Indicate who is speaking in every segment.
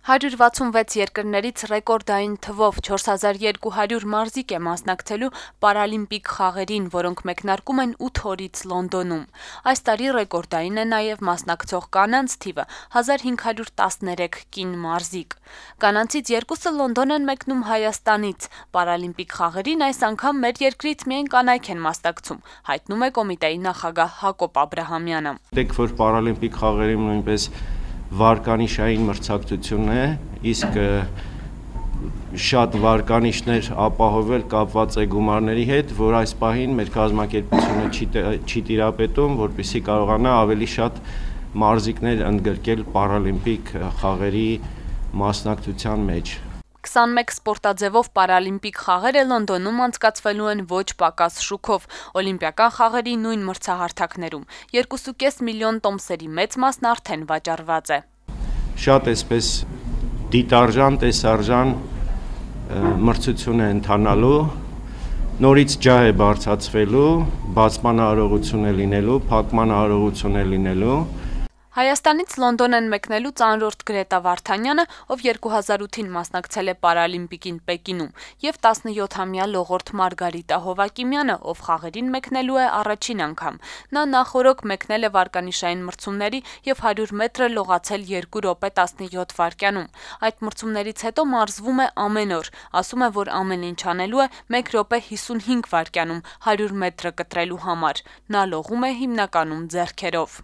Speaker 1: 166 երկրներից ռեկորդային թվով 4200 մարզիկ է մասնակցելու պարալիմպիկ խաղերին, որոնք մեկնարկում են 8 օրից Լոնդոնում։ Այս տարի ռեկորդային է նաև մասնակցող կանանց թիվը՝ 1513 կին մարզիկ։ Կանանցից երկուսը Լոնդոն են մեկնում Հայաստանից։ Պարալիմպիկ խաղերին այս անգամ մեր երկրից միայն կանայք են մասնակցում, հայտնում է կոմիտեի նախագահ Հակոբ Աբրահամյանը։
Speaker 2: Դեք որ պարալիմպիկ խաղերին նույնպես վարկանիշային մրցակցություն է, իսկ շատ վարկանիշներ ապահովել կապված է գումարների հետ, որ այս պահին մեր կազմակերպությունը չի տիրապետում, որպեսզի կարողանա ավելի շատ մարզիկներ ընդգրկել պարալիմպիկ խաղերի մասնակցության մեջ։
Speaker 1: 21 սպորտաձևով պարալիմպիկ խաղերը Լոնդոնում անցկացվելու են ոչ պակաս շուքով, օլիմպիական խաղերի նույն մրցահարթակներում։ 2,5 միլիոն տոմսերի մեծ մասն արդեն վաճառված է։
Speaker 2: Շատ էսպես դիտարժան, տեսարժան մրցություն է ընթանալու, նորից ջահ է բարձրացվելու, բացման արարողություն է լինելու, փակման արարողություն է լինելու։
Speaker 1: Հայաստանից Լոնդոն են մեկնելու ծանրորդ Գրետա Վարդանյանը, ով 2008-ին մասնակցել է պարալիմպիկին Պեկինում, եւ 17-ամյա լողորդ Մարգարիտա Հովակիմյանը, ով խաղերին մեկնելու է առաջին անգամ։ Նա նախօրոք մեկնել է վարկանիշային մրցումների եւ 100 մետրը լողացել 2 րոպե 17 վայրկյանում։ Այդ մրցումներից հետո մարզվում է ամեն օր, ասում է, որ ամեն ինչ անելու է 1 րոպե 55 վայրկյանում 100 մետրը կտրելու համար։ Նա լողում է հիմնականում ձեռքերով։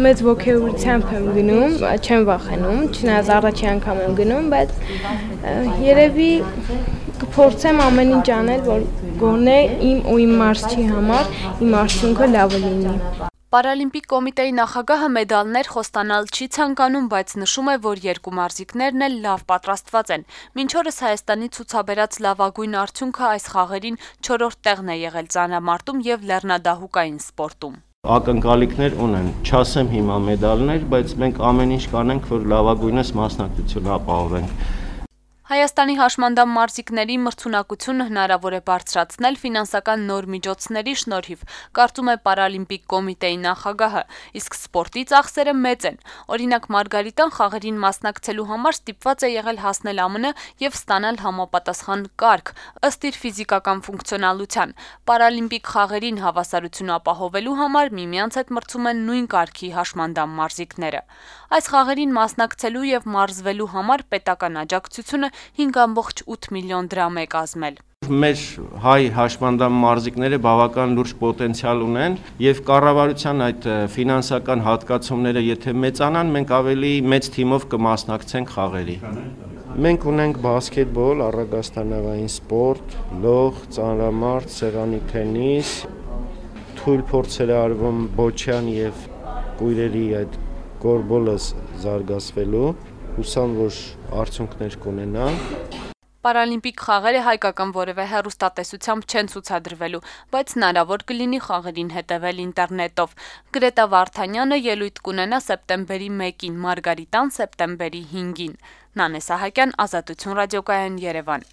Speaker 3: Մեծ ոգեւորությամբ եմ գնում, չեմ վախենում, չնայած առաջին անգամ եմ գնում, բայց երևի կփորձեմ ամեն ինչ անել, որ գոնե իմ ու իմ մարզչի համար իմ արդյունքը լավը լինի։
Speaker 1: Պարալիմպիկ կոմիտեի նախագահը մեդալներ խոստանալ չի ցանկանում, բայց նշում է, որ երկու մարզիկներն էլ լավ պատրաստված են։ Մինչ օրս Հայաստանի ցուցաբերած լավագույն արդյունքը այս խաղերին 4-րդ տեղն է եղել ծանրամարտում եւ լեռնադահուկային սպորտում։
Speaker 2: Ակնկալիքներ ունեն, չասեմ հիմա մեդալներ, բայց մենք ամեն ինչ կանենք, որ լավագույնս մասնակցություն ապահովենք։
Speaker 1: Հայաստանի հաշմանդամ մարզիկների մրցունակությունը հնարավոր է բարձրացնել ֆինանսական նոր միջոցների շնորհիվ, կարծում է պարալիմպիկ կոմիտեի նախագահը, իսկ սպորտի ծախսերը մեծ են։ Օրինակ Մարգարիտան խաղերին մասնակցելու համար ստիպված է եղել հասնել ԱՄՆ եւ ստանալ համապատասխան կարգ, ըստ իր ֆիզիկական ֆունկցիոնալության։ Պարալիմպիկ խաղերին հավասարություն ապահովելու համար միմյանց հետ մրցում են նույն կարգի հաշմանդամ մարզիկները։ Այս խաղերին մասնակցելու եւ մարզվելու համար պետական աջակցությունը 5,8 միլիոն դրամ է կազմել։
Speaker 2: Մեր հայ հաշմանդամ մարզիկները բավական լուրջ պոտենցիալ ունեն եւ կառավարության այդ ֆինանսական հատկացումները եթե մեծանան, մենք ավելի մեծ թիմով կմասնակցենք խաղերի։ Մենք ունենք բասկետբոլ, առագաստանավային սպորտ, լող, ծանրամարտ, սեղանի թենիս, թույլ փորձեր արվում բոչյան եւ կույրերի այդ գորբոլը զարգացվելու, հուսամ, որ արդյունքներ կունենա։
Speaker 1: Պարալիմպիկ խաղերը հայկական որևէ հեռուստատեսությամբ չեն ցուցադրվելու, բայց հնարավոր կլինի խաղերին հետևել ինտերնետով։ Գրետա Վարդանյանը ելույթ կունենա սեպտեմբերի 1-ին, Մարգարիտան սեպտեմբերի 5-ին։ Նանե Սահակյան, Ազատություն ռադիոկայան, Երևան։